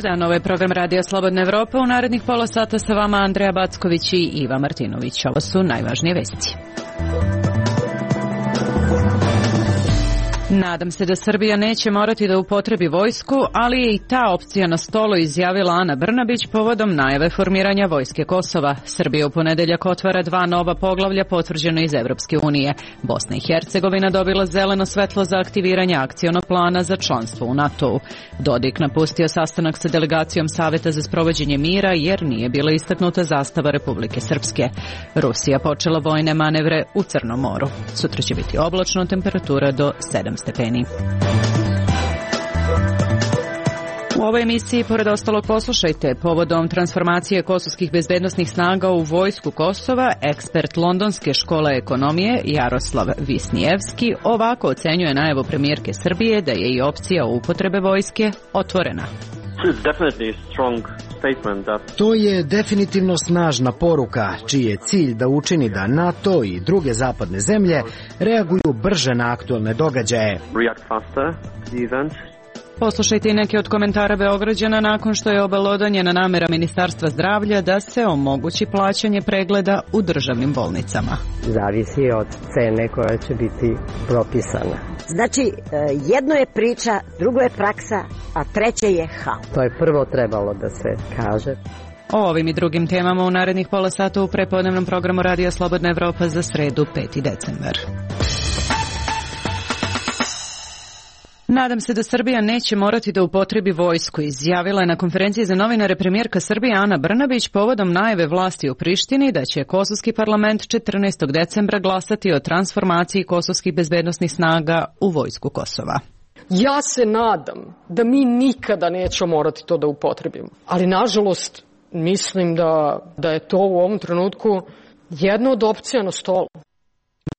Dobar dan, ovo je program Radija Slobodna Evropa. U narednih pola sata sa vama Andreja Backović i Iva Martinović. Ovo su najvažnije vesti. Nadam se da Srbija neće morati da upotrebi vojsku, ali je i ta opcija na stolu, izjavila Ana Brnabić povodom najave formiranja vojske Kosova. Srbija u ponedeljak otvara 2 nova poglavlja potvrđeno iz Evropske unije. Bosna i Hercegovina dobila zeleno svetlo za aktiviranje akcionog plana za članstvo u NATO-u. Dodik napustio sastanak sa delegacijom Saveta za sprovođenje mira jer nije bila istaknuta zastava Republike Srpske. Rusija počela vojne manevre u Crnom moru. Sutra će biti oblačno, temperatura do 7 stepeni. U ovoj emisiji, pored ostalog, poslušajte povodom transformacije kosovskih bezbednosnih snaga u vojsku Kosova, ekspert Londonske škole ekonomije Jaroslav Visnijevski ovako ocenjuje najavu premijerke Srbije da je i opcija upotrebe vojske otvorena. To je definitivno snažna poruka, čiji je cilj da učini da NATO i druge zapadne zemlje reaguju brže na aktualne događaje. Poslušajte i neke od komentara Beograđana nakon što je obelodanjena namera Ministarstva zdravlja da se omogući plaćanje pregleda u državnim bolnicama. Zavisi od cene koja će biti propisana. Znači, jedno je priča, drugo je praksa, a treće je haos. To je prvo trebalo da se kaže. O ovim i drugim temama u narednih pola sata u prepodnevnom programu Radija Slobodna Evropa za sredu 5. decembar. Nadam se da Srbija neće morati da upotrebi vojsku, izjavila je na konferenciji za novinare premijerka Srbije Ana Brnabić povodom najave vlasti u Prištini da će kosovski parlament 14. decembra glasati o transformaciji kosovskih bezbednosnih snaga u vojsku Kosova. Ja se nadam da mi nikada nećemo morati to da upotrebimo, ali nažalost mislim da je to u ovom trenutku jedna od opcija na stolu.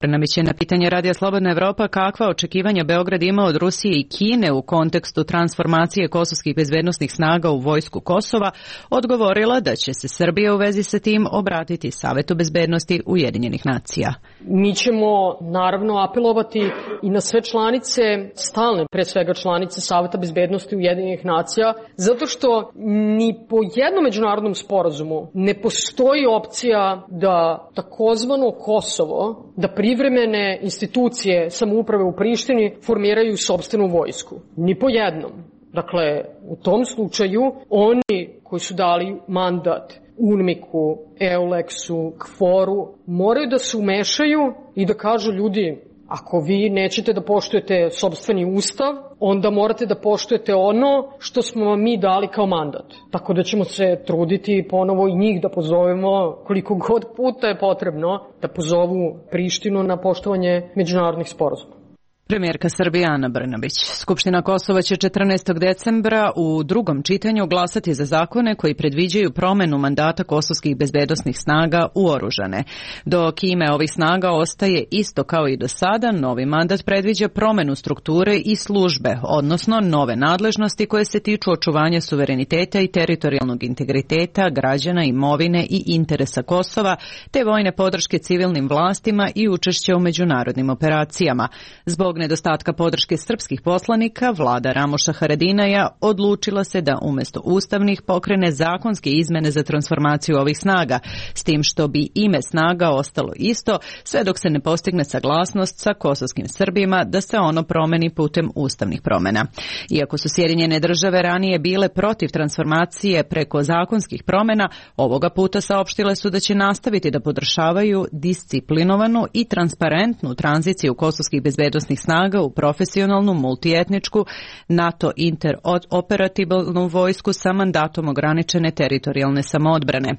Brnabić je na pitanje Radija Slobodna Evropa kakva očekivanja Beograd ima od Rusije i Kine u kontekstu transformacije kosovskih bezbednosnih snaga u vojsku Kosova odgovorila da će se Srbija u vezi sa tim obratiti Savetu bezbednosti Ujedinjenih nacija. Mi ćemo naravno apelovati i na sve članice, stalne pre svega članice Saveta bezbednosti Ujedinjenih nacija, zato što ni po jednom međunarodnom sporazumu ne postoji opcija da takozvano Kosovo, da privremene institucije samouprave u Prištini formiraju sopstvenu vojsku. Ni po jednom. Dakle, u tom slučaju oni koji su dali mandat UNMIK-u, EULEX-u, KFOR-u, moraju da se umešaju i da kažu ljudi, ako vi nećete da poštujete sopstveni ustav, onda morate da poštujete ono što smo vam mi dali kao mandat. Tako da ćemo se truditi ponovo i njih da pozovemo koliko god puta je potrebno da pozovu Prištinu na poštovanje međunarodnih sporazuma. Premijerka Srbije Ana Brnabić. Skupština Kosova će 14. decembra u drugom čitanju glasati za zakone koji predviđaju promenu mandata kosovskih bezbednosnih snaga u oružane. Dok ime ovih snaga ostaje isto kao i do sada, novi mandat predviđa promenu strukture i službe, odnosno nove nadležnosti koje se tiču očuvanja suvereniteta i teritorijalnog integriteta, građana, imovine i interesa Kosova, te vojne podrške civilnim vlastima i učešća u međunarodnim operacijama. Zbog nedostatka podrške srpskih poslanika, vlada Ramoša Haradinaja odlučila se da umjesto ustavnih pokrene zakonske izmene za transformaciju ovih snaga, s tim što bi ime snaga ostalo isto, sve dok se ne postigne saglasnost sa kosovskim Srbima da se ono promeni putem ustavnih promena. Iako su Sjedinjene države ranije bile protiv transformacije preko zakonskih promena, ovoga puta saopštile su da će nastaviti da podržavaju disciplinovanu i transparentnu tranziciju kosovskih bezbednosnih snaga u profesionalnu, multietničku, NATO interoperabilnu vojsku sa mandatom ograničene teritorijalne samoodbrane.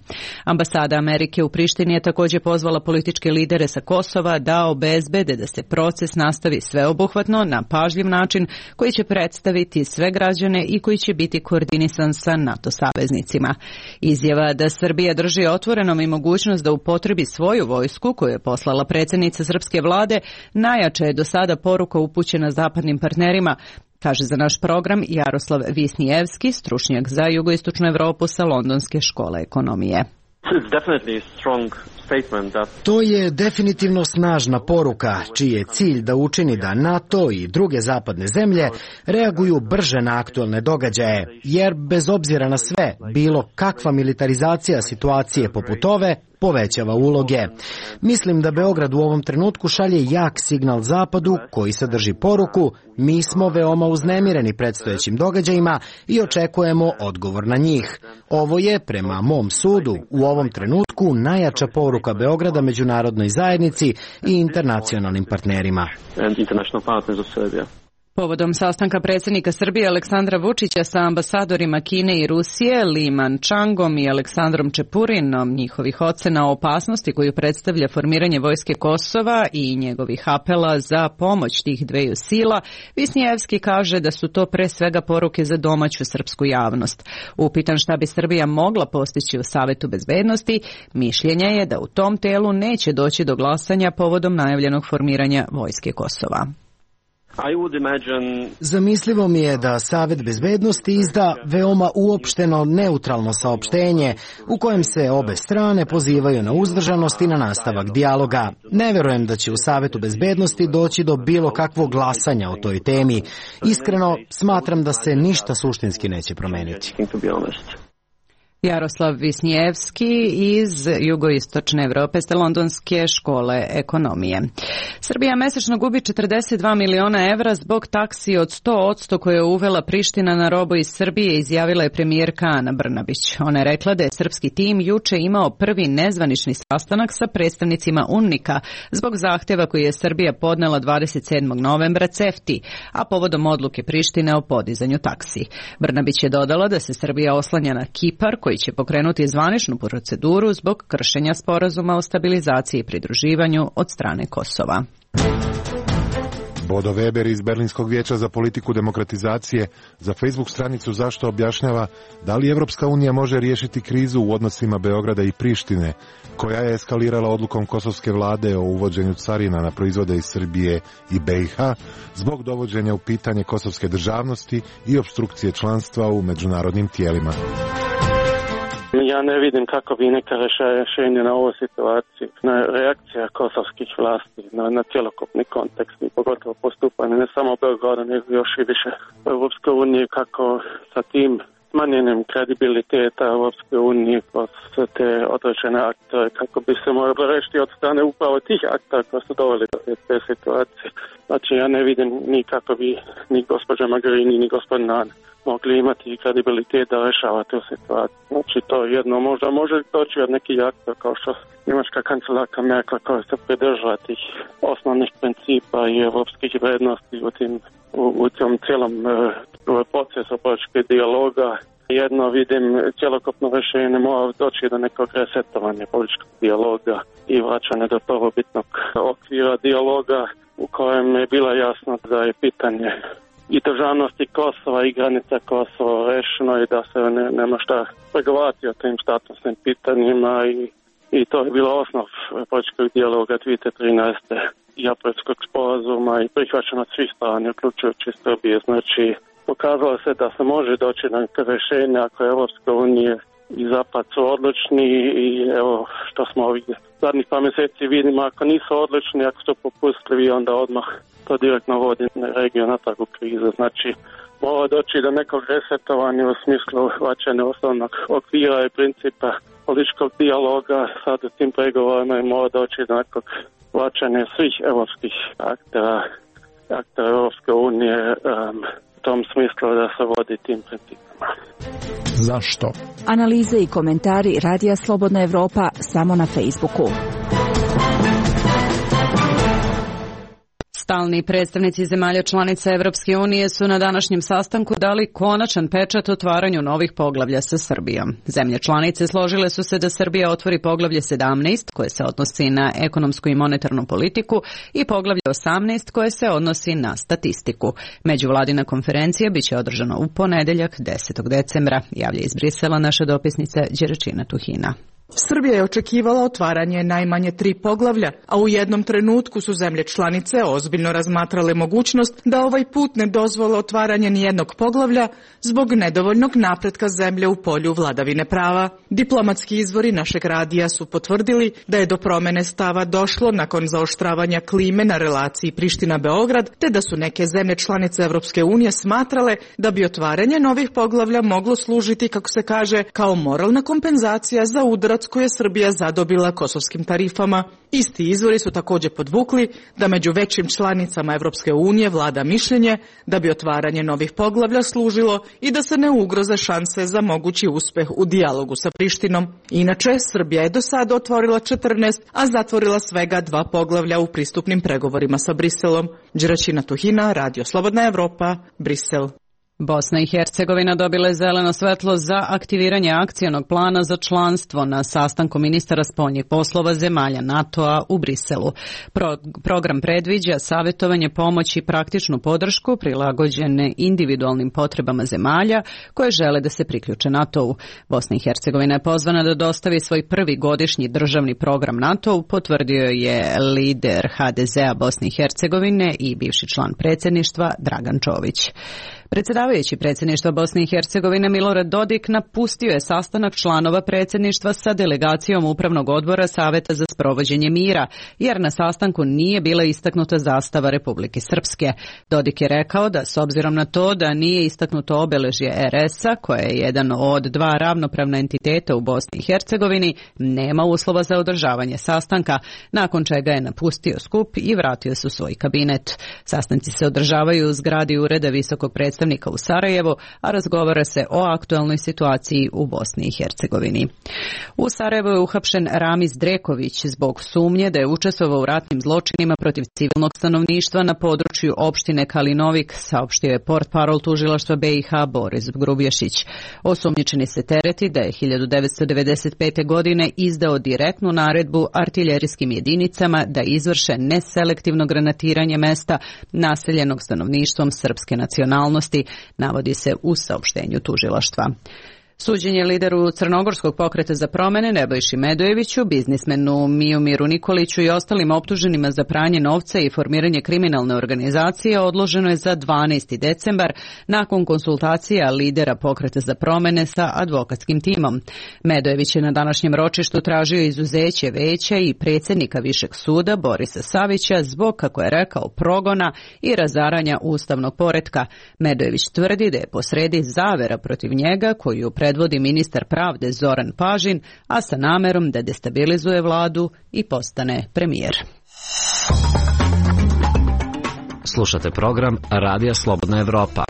Ambasada Amerike u Prištini je također pozvala političke lidere sa Kosova da obezbede da se proces nastavi sveobuhvatno na pažljiv način koji će predstaviti sve građane i koji će biti koordinisan sa NATO saveznicima. Izjava da Srbija drži otvorenom i mogućnost da upotrebi svoju vojsku koju je poslala predsjednica srpske vlade najjača je do sada poruka upućena zapadnim partnerima, kaže za naš program Jaroslav Visnijevski, stručnjak za jugoistočnu Evropu sa Londonske škole ekonomije. To je definitivno snažna poruka, čiji je cilj da učini da NATO i druge zapadne zemlje reaguju brže na aktuelne događaje, jer bez obzira na sve, bilo kakva militarizacija situacije poput ove povećava uloge. Mislim da Beograd u ovom trenutku šalje jak signal Zapadu koji sadrži poruku: mi smo veoma uznemireni predstojećim događajima i očekujemo odgovor na njih. Ovo je, prema mom sudu, u ovom trenutku najjača poruka Beograda međunarodnoj zajednici i internacionalnim partnerima. Povodom sastanka predsjednika Srbije Aleksandra Vučića sa ambasadorima Kine i Rusije, Li Manchangom i Aleksandrom Čepurinom, njihovih ocena o opasnosti koju predstavlja formiranje vojske Kosova i njegovih apela za pomoć tih dveju sila, Visnijevski kaže da su to pre svega poruke za domaću srpsku javnost. Upitan šta bi Srbija mogla postići u Savetu bezbednosti, mišljenja je da u tom telu neće doći do glasanja povodom najavljenog formiranja vojske Kosova. Zamislivo mi je da Savet bezbednosti izda veoma uopšteno neutralno saopštenje u kojem se obe strane pozivaju na uzdržanost i na nastavak dijaloga. Ne verujem da će u Savetu bezbednosti doći do bilo kakvog glasanja o toj temi. Iskreno, smatram da se ništa suštinski neće promeniti. Jaroslav Visnijevski iz jugoistočne Evrope s Londonske škole ekonomije. Srbija mesečno gubi 42 miliona evra zbog taksi od 100% koje je uvela Priština na robu iz Srbije, izjavila je premijerka Ana Brnabić. Ona je rekla da je srpski tim juče imao prvi nezvanični sastanak sa predstavnicima UNMIK-a zbog zahtjeva koji je Srbija podnela 27. novembra CEFTA-i, a povodom odluke Prištine o podizanju taksi. Brnabić je dodala da se Srbija oslanja na Kipar, koji će pokrenuti zvaničnu proceduru zbog kršenja sporazuma o stabilizaciji i pridruživanju od strane Kosova. Bodo Weber iz Berlinskog vijeća za politiku demokratizacije za Facebook stranicu Zašto objašnjava da li Evropska unija može riješiti krizu u odnosima Beograda i Prištine, koja je eskalirala odlukom kosovske vlade o uvođenju carina na proizvode iz Srbije i BiH zbog dovođenja u pitanje kosovske državnosti i opstrukcije članstva u međunarodnim tijelima. Ja ne vidim kako bi neka rješenje na ovu situaciju, na reakcija kosovskih vlasti, na cjelokupni kontekst i pogotovo postupanje ne samo Beograda, nego još i više Europske unije, kako sa tim smanjenjem kredibiliteta Europske unije kroz te određene aktore, kako bi se moralo rešiti od strane upravo tih aktora koji su doveli do te situacije. Znači ja ne vidim ni kako bi ni gospođa Mogherini ni gospodin Hahn mogli imati kredibilitet da rešava tu situaciju. Znači to jedno možda može doći od nekih aktora kao što njemačka kancelarka Merkel koja se pridržava tih osnovnih principa i evropskih vrednosti u tom cijelom procesu političkog dijaloga. Jedno vidim cjelokupno rješenje mora doći do nekog resetovanja političkog dijaloga i vraćanja do prvobitnog okvira dijaloga u kojem je bilo jasno da je pitanje i državnosti Kosova i granica Kosova rešeno i da se nema šta pregovarati o tim statusnim pitanjima i to je bilo osnov političkog dijaloga 2013. i Aprilskog sporazuma i prihvaćeno svih strana, uključujući Srbije. Znači, pokazalo se da se može doći na neke rješenja ako je Evropska unija i Zapad su odlični i evo što smo ovih zadnjih par mjeseci vidimo, ako nisu odlični, ako su popustljivi, onda odmah to direktno vodi regiju natrag u krizu. Znači, mora doći do nekog resetovanja u smislu vraćanja osnovnog okvira i principa političkog dijaloga sad u tim pregovorima i mora doći do nekog vraćanja svih evropskih aktera Evropske unije u tom smislu da se vodi tim principima. Zašto? Analize i komentari Radija Slobodna Evropa samo na Facebooku. Stalni predstavnici zemalja članica Evropske unije su na današnjem sastanku dali konačan pečat otvaranju novih poglavlja sa Srbijom. Zemlje članice složile su se da Srbija otvori poglavlje 17 koje se odnosi na ekonomsku i monetarnu politiku i poglavlje 18 koje se odnosi na statistiku. Međuvladina konferencija biće održana u ponedeljak 10. decembra, javlja iz Brisela naša dopisnica Đeračina Tuhina. Srbija je očekivala otvaranje najmanje 3 poglavlja, a u jednom trenutku su zemlje članice ozbiljno razmatrale mogućnost da ovaj put ne dozvole otvaranje nijednog poglavlja zbog nedovoljnog napretka zemlje u polju vladavine prava. Diplomatski izvori našeg radija su potvrdili da je do promene stava došlo nakon zaoštravanja klime na relaciji Priština-Beograd, te da su neke zemlje članice Evropske unije smatrale da bi otvaranje novih poglavlja moglo služiti, kako se kaže, kao moralna kompenzacija za udarac koje je Srbija zadobila kosovskim tarifama. Isti izvori su također podvukli da među većim članicama Evropske unije vlada mišljenje da bi otvaranje novih poglavlja služilo i da se ne ugroze šanse za mogući uspeh u dijalogu sa Prištinom. Inače, Srbija je do sada otvorila 14, a zatvorila svega 2 poglavlja u pristupnim pregovorima sa Briselom. Đeračina Tuhina, Radio Slobodna Evropa, Brisel. Bosna i Hercegovina dobila je zeleno svetlo za aktiviranje akcionog plana za članstvo na sastanku ministara spoljnih poslova zemalja NATO-a u Briselu. Program predviđa savjetovanje, pomoć i praktičnu podršku prilagođene individualnim potrebama zemalja koje žele da se priključe NATO-u. Bosna i Hercegovina je pozvana da dostavi svoj prvi godišnji državni program NATO-u, potvrdio je lider HDZ-a Bosne i Hercegovine i bivši član predsjedništva Dragan Čović. Predsjedavajući predsjedništva Bosne i Hercegovine Milorad Dodik napustio je sastanak članova predsjedništva sa delegacijom Upravnog odbora Saveta za sprovođenje mira, jer na sastanku nije bila istaknuta zastava Republike Srpske. Dodik je rekao da s obzirom na to da nije istaknuto obeležje RS-a, koje je jedan od 2 ravnopravna entiteta u Bosni i Hercegovini, nema uslova za održavanje sastanka, nakon čega je napustio skup i vratio se u svoj kabinet. Sastanci se održavaju u zgradi Ureda visokog predstavnika u Sarajevu, a razgovara se o aktualnoj situaciji u Bosni i Hercegovini. U Sarajevu je uhapšen Ramiz Dreković zbog sumnje da je učestvovao u ratnim zločinima protiv civilnog stanovništva na području opštine Kalinovik, saopštio je portparol tužilaštva BiH Boris Grubješić. Osumnjičeni se tereti da je 1995. godine izdao direktnu naredbu artiljerijskim jedinicama da izvrše neselektivno granatiranje mesta naseljenog stanovništvom srpske nacionalnosti, navodi se u saopštenju tužilaštva. Suđenje lideru Crnogorskog pokreta za promene Nebojši Medojeviću, biznismenu Mijomiru Nikoliću i ostalim optuženima za pranje novca i formiranje kriminalne organizacije odloženo je za 12. decembar nakon konsultacija lidera pokreta za promene sa advokatskim timom. Medojević je na današnjem ročištu tražio izuzeće veća i predsjednika Višeg suda Borisa Savića zbog, kako je rekao, progona i razaranja ustavnog poretka. Medojević tvrdi da je posredi zavera protiv njega koju predvodi ministar pravde Zoran Pažin, a sa namerom da destabilizuje vladu i postane premijer. Slušate program Radija Slobodna Evropa.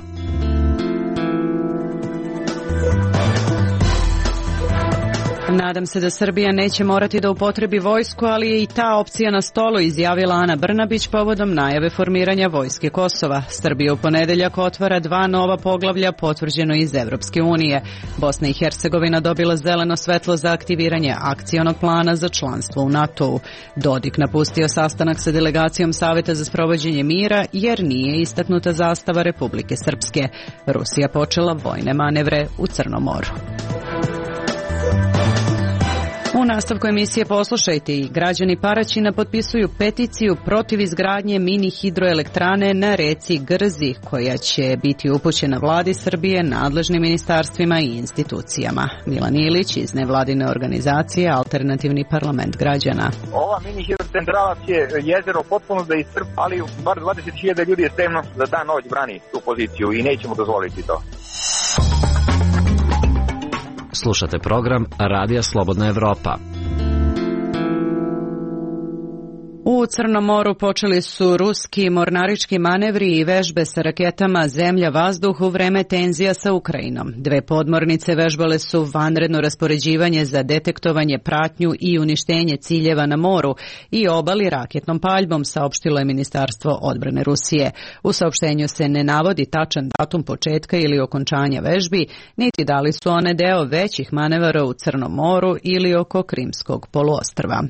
Nadam se da Srbija neće morati da upotrebi vojsku, ali je i ta opcija na stolu, izjavila Ana Brnabić povodom najave formiranja vojske Kosova. Srbija u ponedeljak otvara 2 nova poglavlja, potvrđeno iz Evropske unije. Bosna i Hercegovina dobila zeleno svetlo za aktiviranje akcionog plana za članstvo u NATO-u. Dodik napustio sastanak sa delegacijom Saveta za sprovođenje mira jer nije istaknuta zastava Republike Srpske. Rusija počela vojne manevre u Crnom moru. U nastavku emisije poslušajte i građani Paraćina potpisuju peticiju protiv izgradnje mini hidroelektrane na reci Grzi, koja će biti upućena vladi Srbije, nadležnim ministarstvima i institucijama. Milan Ilić iz nevladine organizacije Alternativni parlament građana. Ova mini hidrocentrala će jezero potpuno da iscrpi, ali bar 20.000 ljudi je spremno da dan noć brani tu poziciju i nećemo dozvoliti to. Slušate program Radija Slobodna Evropa. U Crnom moru počeli su ruski mornarički manevri i vežbe sa raketama zemlja-vazduh u vreme tenzija sa Ukrajinom. 2 podmornice vežbale su vanredno raspoređivanje za detektovanje, pratnju i uništenje ciljeva na moru i obali raketnom paljbom, saopštilo je Ministarstvo odbrane Rusije. U saopštenju se ne navodi tačan datum početka ili okončanja vežbi, niti da li su one deo većih manevara u Crnom moru ili oko Krimskog poluostrva.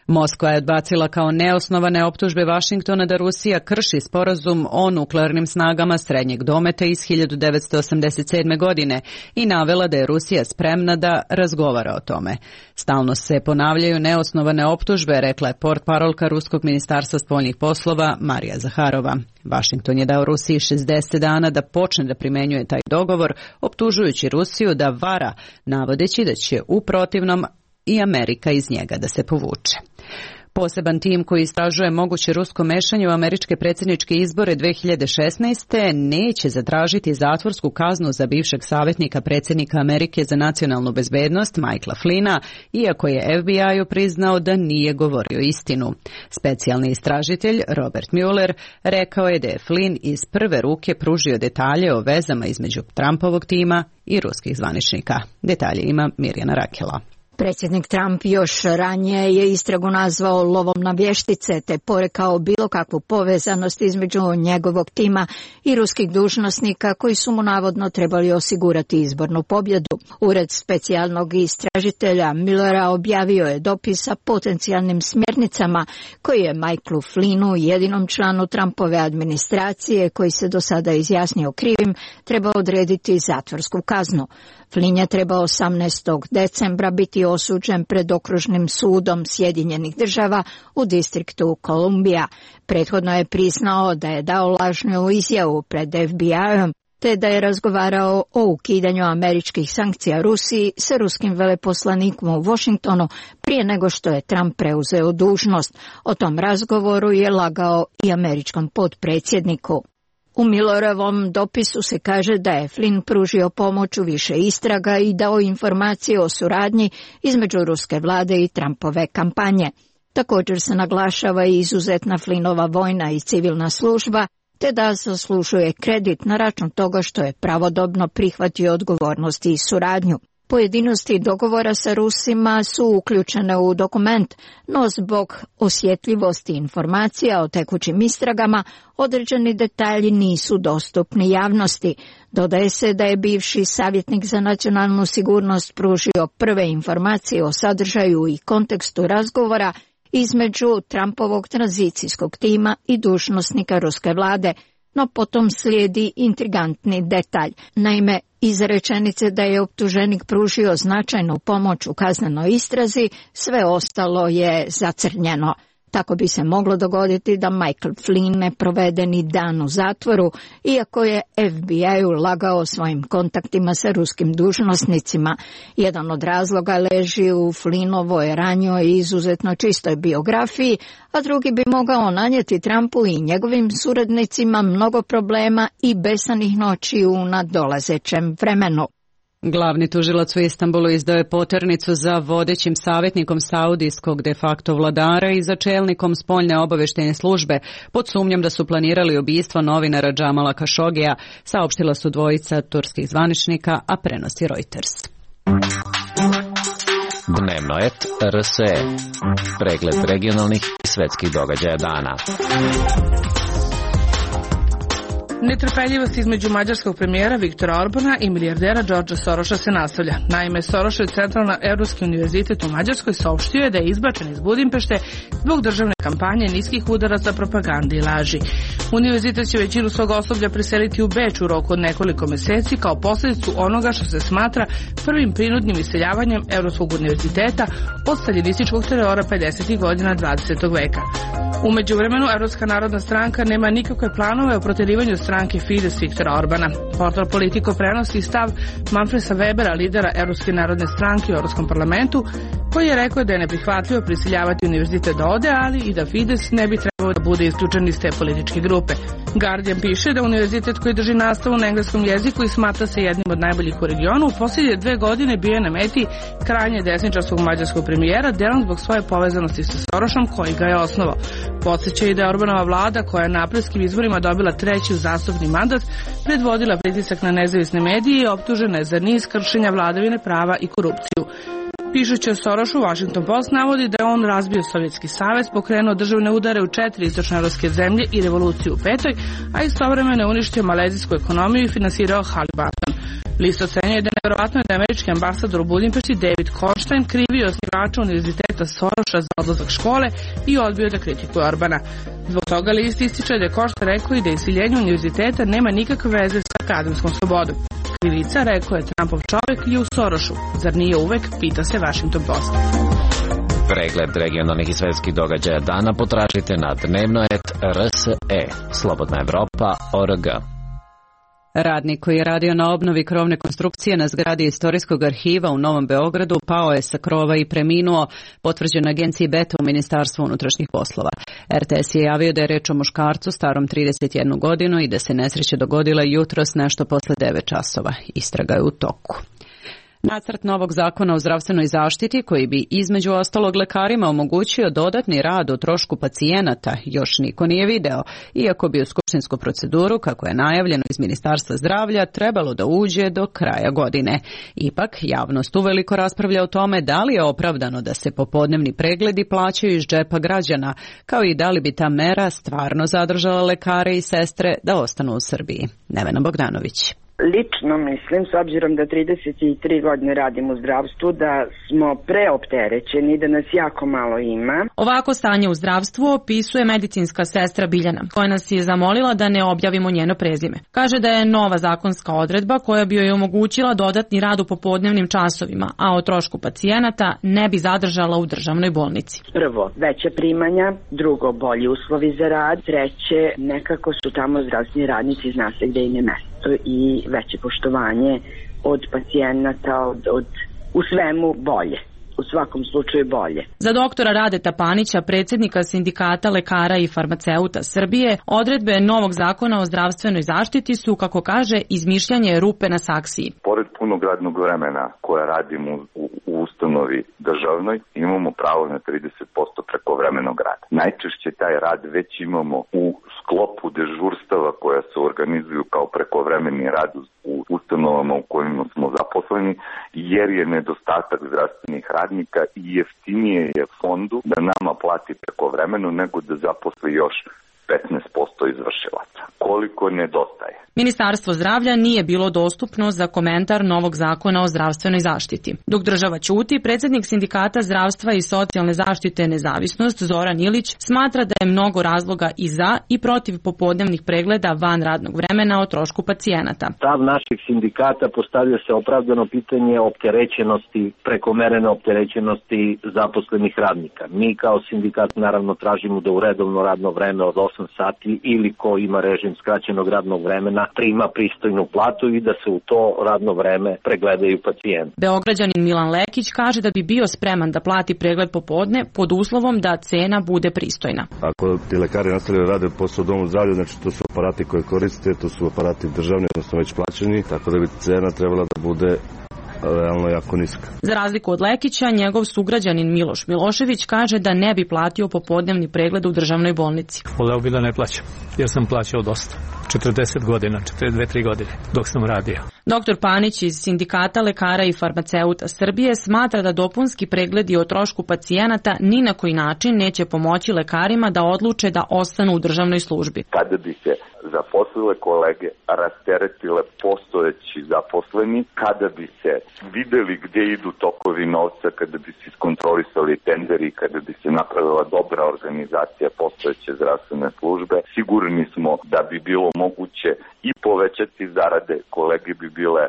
Moskva je odbacila kao neosnovane optužbe Vašingtona da Rusija krši sporazum o nuklearnim snagama srednjeg dometa iz 1987. godine i navela da je Rusija spremna da razgovara o tome. Stalno se ponavljaju neosnovane optužbe, rekla je portparolka Ruskog ministarstva spoljnih poslova Marija Zaharova. Vašington je dao Rusiji 60 dana da počne da primenjuje taj dogovor, optužujući Rusiju da vara, navodeći da će u protivnom i Amerika iz njega da se povuče. Poseban tim koji istražuje moguće rusko mešanje u američke predsjedničke izbore 2016. neće zatražiti zatvorsku kaznu za bivšeg savjetnika predsjednika Amerike za nacionalnu bezbednost Michaela Flynna, iako je FBI-u priznao da nije govorio istinu. Specijalni istražitelj Robert Mueller rekao je da je Flynn iz prve ruke pružio detalje o vezama između Trumpovog tima i ruskih zvaničnika. Detalje ima Mirjana Rakela. Predsjednik Trump još ranije je istragu nazvao lovom na vještice te porekao bilo kakvu povezanost između njegovog tima i ruskih dužnosnika koji su mu navodno trebali osigurati izbornu pobjedu. Ured specijalnog istražitelja Muellera objavio je dopis sa potencijalnim smjernicama koji je Michaelu Flynnu, jedinom članu Trumpove administracije koji se do sada izjasnio krivim, trebao odrediti zatvorsku kaznu. Flynn je trebao 18. decembra biti osuđen pred okružnim sudom Sjedinjenih država u distriktu Kolumbija. Prethodno je priznao da je dao lažnu izjavu pred FBI-om te da je razgovarao o ukidanju američkih sankcija Rusiji sa ruskim veleposlanikom u Washingtonu prije nego što je Trump preuzeo dužnost. O tom razgovoru je lagao i američkom potpredsjedniku. U Muellerovom dopisu se kaže da je Flynn pružio pomoć u više istraga i dao informacije o suradnji između ruske vlade i Trumpove kampanje. Također se naglašava i izuzetna Flynnova vojna i civilna služba, te da zaslužuje kredit na račun toga što je pravodobno prihvatio odgovornosti i suradnju. Pojedinosti dogovora sa Rusima su uključene u dokument, no zbog osjetljivosti informacija o tekućim istragama, određeni detalji nisu dostupni javnosti. Dodaje se da je bivši savjetnik za nacionalnu sigurnost pružio prve informacije o sadržaju i kontekstu razgovora između Trumpovog tranzicijskog tima i dužnosnika ruske vlade, no potom slijedi intrigantni detalj. Naime, iz rečenice da je optuženik pružio značajnu pomoć u kaznenoj istrazi, sve ostalo je zacrnjeno. Tako bi se moglo dogoditi da Michael Flynn ne provede ni dan u zatvoru, iako je FBI-u lagao svojim kontaktima sa ruskim dužnosnicima. Jedan od razloga leži u Flynnovoj ranjoj i izuzetno čistoj biografiji, a drugi bi mogao nanijeti Trumpu i njegovim suradnicima mnogo problema i besanih noći u nadolazećem vremenu. Glavni tužilac u Istanbulu izdao je poternicu za vodećim savjetnikom saudijskog de facto vladara i za čelnikom spoljne obavještajne službe pod sumnjom da su planirali ubistvo novinara Džamala Kašogija, saopštila su dvojica turskih zvaničnika, a prenosi Reuters. Dnevno et RSE. Pregled regionalnih i svetskih događaja dana. Netrpeljivost između mađarskog premijera Viktora Orbana i milijardera Georgea Sorosa se nastavlja. Naime, Sorosov Centralno-Evropski univerzitet u Mađarskoj saopštio je da je izbačen iz Budimpešte zbog državne kampanje niskih udaraca, propagande i laži. Univerzitet će većinu svog osoblja preseliti u Beč u roku od nekoliko meseci kao posljedicu onoga što se smatra prvim prinudnim iseljavanjem Evropskog univerziteta od staljinističkog terora 50. godina 20. veka. U međuvremenu, Evropska narodna stranka nema nikakve planove o proterivanju stranke Fides Viktora Orbana. Portal Politico prenosi stav Manfreda Webera, lidera Evropske narodne stranke u Evropskom parlamentu, koji je rekao da je neprihvatljivo prisiljavati univerzitet da ode, ali i da Fides ne bi trebao da bude isključen iz te političke grupe. Guardian piše da univerzitet koji drži nastavu na engleskom jeziku i smatra se jednim od najboljih u regionu, u posljednje 2 godine bio je na meti krajnje desničarskog mađarskog premijera, delom zbog svoje povezanosti sa Sorosom koji ga je osnovao. Podsjeća i da je Orbanova vlada, koja je na aprilskim izborima dobila 3. uzastopni mandat, predvodila pritisak na nezavisne medije i optužena je za niz kršenja vladavine prava i korupciju. Pišući o Sorosu, Washington Post navodi da je on razbio Sovjetski savez, pokrenuo državne udare u 4 istočnoevropske zemlje i revoluciju u 5, a istovremeno je uništio malezijsku ekonomiju i finansirao Haliburton. List ocenjuje da je nevjerovatno da je američki ambasador u Budimpešti David Kornstein krivio osnivača univerziteta Soroša za odlazak škole i odbio da kritikuje Orbana. Zbog toga list ističe da je Kornstein rekao i da iseljenje univerziteta nema nikakve veze sa akademskom slobodom. Krivica, rekao je Trumpov čovjek, je u Sorošu. Zar nije uvek, pita se Washington Post. Pregled regionalnih i svetskih događaja dana potražite na dnevno.rse. Slobodna Evropa.org. Radnik koji je radio na obnovi krovne konstrukcije na zgradi Istorijskog arhiva u Novom Beogradu pao je sa krova i preminuo, potvrđeno agenciji Beta u Ministarstvu unutrašnjih poslova. RTS je javio da je reč o muškarcu starom 31 godinu i da se nesreća dogodila jutros nešto posle 9 časova. Istraga je u toku. Nacrt novog zakona o zdravstvenoj zaštiti koji bi između ostalog lekarima omogućio dodatni rad o trošku pacijenata još niko nije video, iako bi u skupštinsku proceduru, kako je najavljeno iz Ministarstva zdravlja, trebalo da uđe do kraja godine. Ipak, javnost uveliko raspravlja o tome da li je opravdano da se popodnevni pregledi plaćaju iz džepa građana, kao i da li bi ta mera stvarno zadržala lekare i sestre da ostanu u Srbiji. Nevena Bogdanović. Lično mislim, s obzirom da 33 godine radim u zdravstvu, da smo preopterećeni, da nas jako malo ima. Ovako stanje u zdravstvu opisuje medicinska sestra Biljana, koja nas je zamolila da ne objavimo njeno prezime. Kaže da je nova zakonska odredba koja bi joj omogućila dodatni rad u popodnevnim časovima, a o trošku pacijenata ne bi zadržala u državnoj bolnici. Prvo, veća primanja, drugo, bolji uslovi za rad, treće, nekako su tamo zdravstveni radnici, zna se gde im je mesto i veće poštovanje od pacijenata, u svemu bolje. U svakom slučaju bolje. Za doktora Radeta Panića, predsjednika Sindikata lekara i farmaceuta Srbije, odredbe novog zakona o zdravstvenoj zaštiti su, kako kaže, izmišljanje rupe na saksiji. Pored punog radnog vremena koja radimo u ustanovi državnoj, imamo pravo na 30% prekovremenog rada. Najčešće taj rad već imamo u sklopu dežurstava koja se organizuju kao prekovremeni rad u ustanovama u kojima smo zaposleni, jer je nedostatak zdravstvenih radnika i jeftinije je fondu da nama plati prekovremeno nego da zaposli još 15% izvršilaca. Koliko nedostaje? Ministarstvo zdravlja nije bilo dostupno za komentar novog zakona o zdravstvenoj zaštiti. Dok država ćuti, predsjednik Sindikata zdravstva i socijalne zaštite Nezavisnost Zoran Ilić smatra da je mnogo razloga i za i protiv popodnevnih pregleda van radnog vremena o trošku pacijenata. Stav naših sindikata postavlja se opravdano pitanje opterećenosti, prekomerene opterećenosti zaposlenih radnika. Mi kao sindikat naravno tražimo da u redovno radno vreme od 8 sati ili ko ima režim skraćenog radnog vremena prima pristojnu platu i da se u to radno vreme pregledaju pacijenti. Beograđanin Milan Lekić kaže da bi bio spreman da plati pregled popodne pod uslovom da cena bude pristojna. Ako ti lekari nastavljaju rade posao u domu zdravlja, znači to su aparati koje koriste, to su aparati državni, odnosno već plaćeni, tako da bi cena trebala da bude realno jako niska. Za razliku od Lekića, njegov sugrađanin Miloš Milošević kaže da ne bi platio popodnevni pregled u državnoj bolnici. Voleo bi da ne plaćam, jer sam plaćao dosta. 40 godina, 42-3 godine, dok sam radio. Doktor Panić iz Sindikata lekara i farmaceuta Srbije smatra da dopunski pregledi o trošku pacijenata ni na koji način neće pomoći lekarima da odluče da ostanu u državnoj službi. Kada bi se zaposlile kolege rasteretile postojeći zaposleni, kada bi se videli gde idu tokovi novca, kada bi se iskontrolisali tenderi, kada bi se napravila dobra organizacija postojeće zdravstvene službe, sigurni smo da bi bilo moguće i povećati zarade, kolege bi bile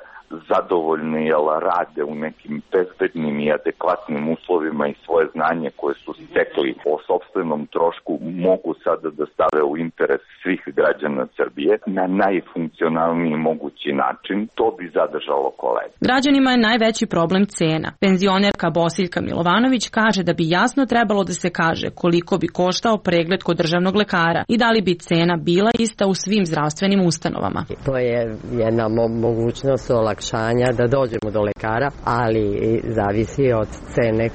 zadovoljne jer rade u nekim bezbednim i adekvatnim uslovima i svoje znanje koje su stekli o sopstvenom trošku mogu sada da stave u interes svih građana Srbije na najfunkcionalniji mogući način. To bi zadržalo kolege. Građanima je najveći problem cena. Penzionerka Bosiljka Milovanović kaže da bi jasno trebalo da se kaže koliko bi koštao pregled kod državnog lekara i da li bi cena bila ista u svim zdravstvenim ustanovama. To je jedna mogućnost olakšanja da dođemo do lekara, ali zavisi od cene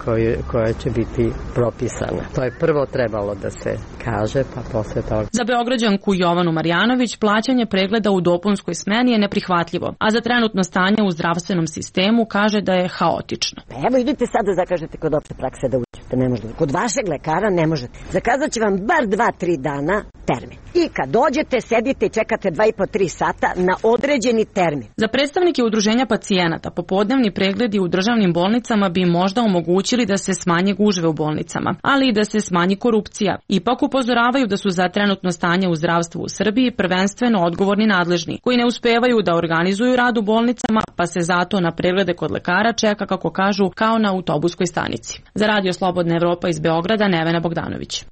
koja će biti propisana. To je prvo trebalo da se kaže, pa posle toga. Za Beograđanku Jovanu Marjanović plaćanje pregleda u dopunskoj smeni je neprihvatljivo, a za trenutno stanje u zdravstvenom sistemu kaže da je haotično. Evo idite sad da zakažete kod opšte prakse da uđe. da ne možete. Kod vašeg lekara ne možete. Zakazat će vam bar 2-3 dana termin. I kad dođete, sedite i čekate 2,5-3 sata na određeni termin. Za predstavnike udruženja pacijenata, popodnevni pregledi u državnim bolnicama bi možda omogućili da se smanje gužve u bolnicama, ali i da se smanji korupcija. Ipak upozoravaju da su za trenutno stanje u zdravstvu u Srbiji prvenstveno odgovorni nadležni, koji ne uspevaju da organizuju rad u bolnicama, pa se zato na preglede kod lekara čeka, kako kažu, kao na autobuskoj stanici. Za Radio Slobodna Evropa iz Beograda, Nevena Bogdanović.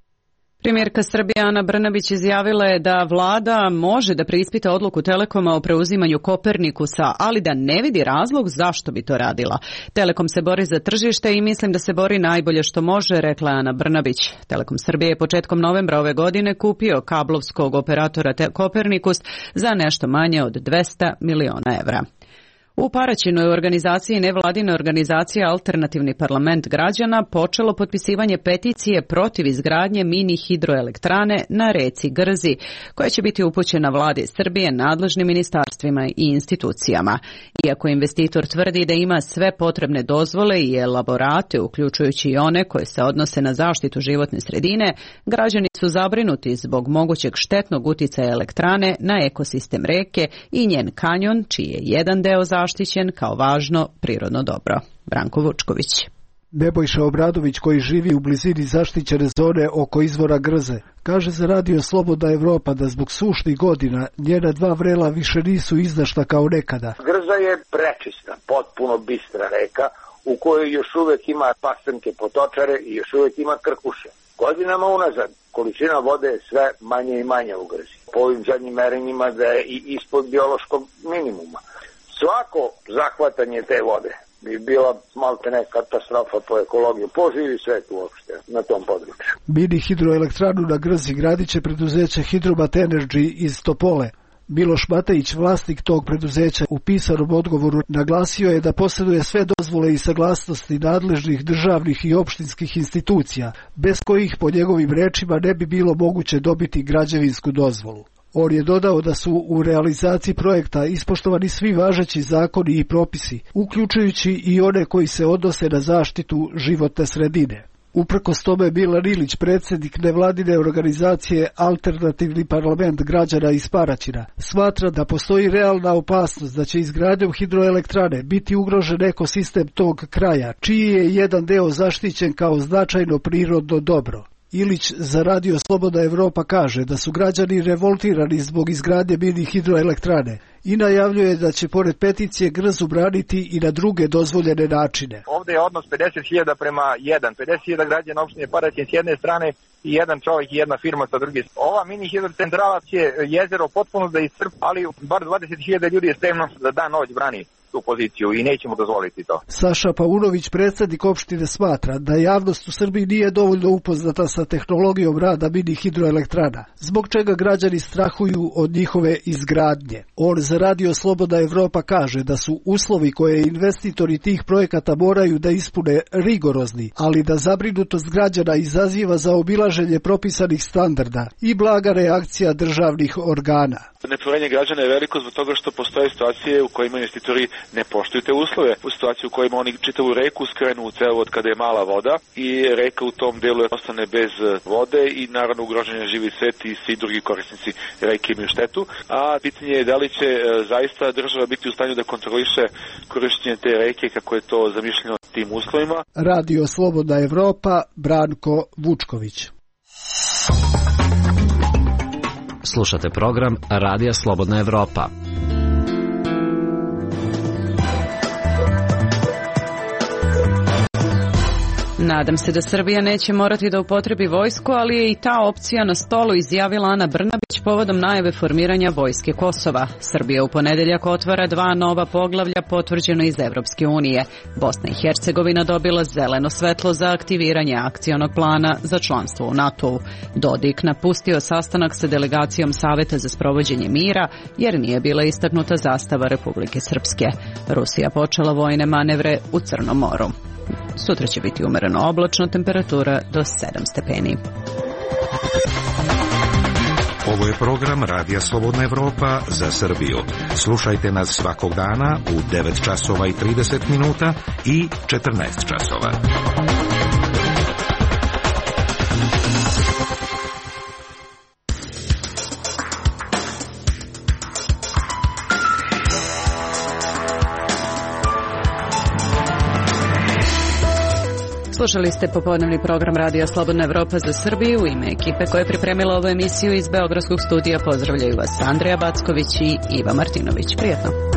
Premijerka Srbije Ana Brnabić izjavila je da vlada može da preispita odluku Telekoma o preuzimanju Kopernikusa, ali da ne vidi razlog zašto bi to radila. Telekom se bori za tržište i mislim da se bori najbolje što može, rekla Ana Brnabić. Telekom Srbije je početkom novembra ove godine kupio kablovskog operatora Kopernikus za nešto manje od 200 miliona evra. U Paraćinu je u organizaciji nevladine organizacije Alternativni parlament građana počelo potpisivanje peticije protiv izgradnje mini hidroelektrane na reci Grzi, koja će biti upućena vladi Srbije, nadležnim ministarstvima i institucijama. Iako investitor tvrdi da ima sve potrebne dozvole i elaborate, uključujući i one koje se odnose na zaštitu životne sredine, građani su zabrinuti zbog mogućeg štetnog uticaja elektrane na ekosistem reke i njen kanjon, čiji je jedan deo zaštićen kao važno prirodno dobro. Branko Vučković. Nebojša Obradović, koji živi u blizini zaštićene zone oko izvora Grze, kaže za Radio Slobodna Evropa da zbog sušnih godina njena dva vrela više nisu izdašna kao nekada. Grza je prečista, potpuno bistra reka u kojoj još uvek ima pastrnke potočare i još uvek ima krkuše. Godinama unazad količina vode je sve manje i manje u Grzi. Po ovim zadnjim merenjima da je i ispod biološkog minimuma. Svako zahvatanje te vode bi bila maltene katastrofa po ekologiju, po živi svet uopšte na tom području. Mini hidroelektranu na Grzi gradit će preduzeće Hidromat Energy iz Topole. Miloš Matejić, vlasnik tog preduzeća, u pisanom odgovoru naglasio je da posjeduje sve dozvole i saglasnosti nadležnih državnih i opštinskih institucija, bez kojih po njegovim rečima ne bi bilo moguće dobiti građevinsku dozvolu. On je dodao da su u realizaciji projekta ispoštovani svi važeći zakoni i propisi, uključujući i one koji se odnose na zaštitu životne sredine. Uprkos tome, Milan Ilić, predsjednik nevladine organizacije Alternativni parlament građana iz Paraćina, smatra da postoji realna opasnost da će izgradnjom hidroelektrane biti ugrožen ekosistem tog kraja, čiji je jedan deo zaštićen kao značajno prirodno dobro. Ilić za Radio Slobodna Evropa kaže da su građani revoltirani zbog izgradnje mini hidroelektrane i najavljuje da će pored peticije Grzu braniti i na druge dozvoljene načine. Ovde je odnos 50.000 prema 1. 50.000 građana opštine Paraćin s jedne strane i jedan čovjek i jedna firma sa druge. Ova mini hidrocentrala će jezero potpuno da iscrpi, ali bar 20.000 ljudi je spremno da dan noć brani tu poziciju i nećemo dozvoliti to. Saša Paunović, predsjednik opštine, smatra da javnost u Srbiji nije dovoljno upoznata sa tehnologijom rada mini hidroelektrana, zbog čega građani strahuju od njihove izgradnje. On za Radio Slobodna Evropa kaže da su uslovi koje investitori tih projekata moraju da ispune rigorozni, ali da zabrinutost građana izaziva zaobilaženje propisanih standarda i blaga reakcija državnih organa. Nepoverenje građana je veliko zbog toga što postoje situacije u kojima investitori ne poštuju te uslove. U situaciji u kojima oni čitavu reku skrenu u cevovod kada je mala voda i reka u tom delu ostane bez vode i naravno ugrožen je živi svet i svi drugi korisnici reke imaju štetu. A pitanje je da li će zaista država biti u stanju da kontroliše korišćenje te reke kako je to zamišljeno tim uslovima. Radio Slobodna Evropa, Branko Vučković. Slušate program Radija Slobodna Evropa. Nadam se da Srbija neće morati da upotrebi vojsku, ali je i ta opcija na stolu, izjavila Ana Brnabić povodom najave formiranja vojske Kosova. Srbija u ponedeljak otvara 2 nova poglavlja potvrđeno iz Evropske unije. Bosna i Hercegovina dobila zeleno svetlo za aktiviranje akcionog plana za članstvo u NATO-u. Dodik napustio sastanak sa delegacijom Saveta za sprovođenje mira jer nije bila istaknuta zastava Republike Srpske. Rusija počela vojne manevre u Crnom moru. Sutra će biti umereno oblačno, temperatura do 7 stepeni. Ovo je program Radija Slobodna Evropa za Srbiju. Slušajte nas svakog dana u 9 časova i 30 minuta i 14 časova. Slušali ste popodnevni program Radija Slobodna Evropa za Srbiju. U ime ekipe koja je pripremila ovu emisiju iz Beogradskog studija pozdravljaju vas Andreja Backović i Iva Martinović. Prijetno.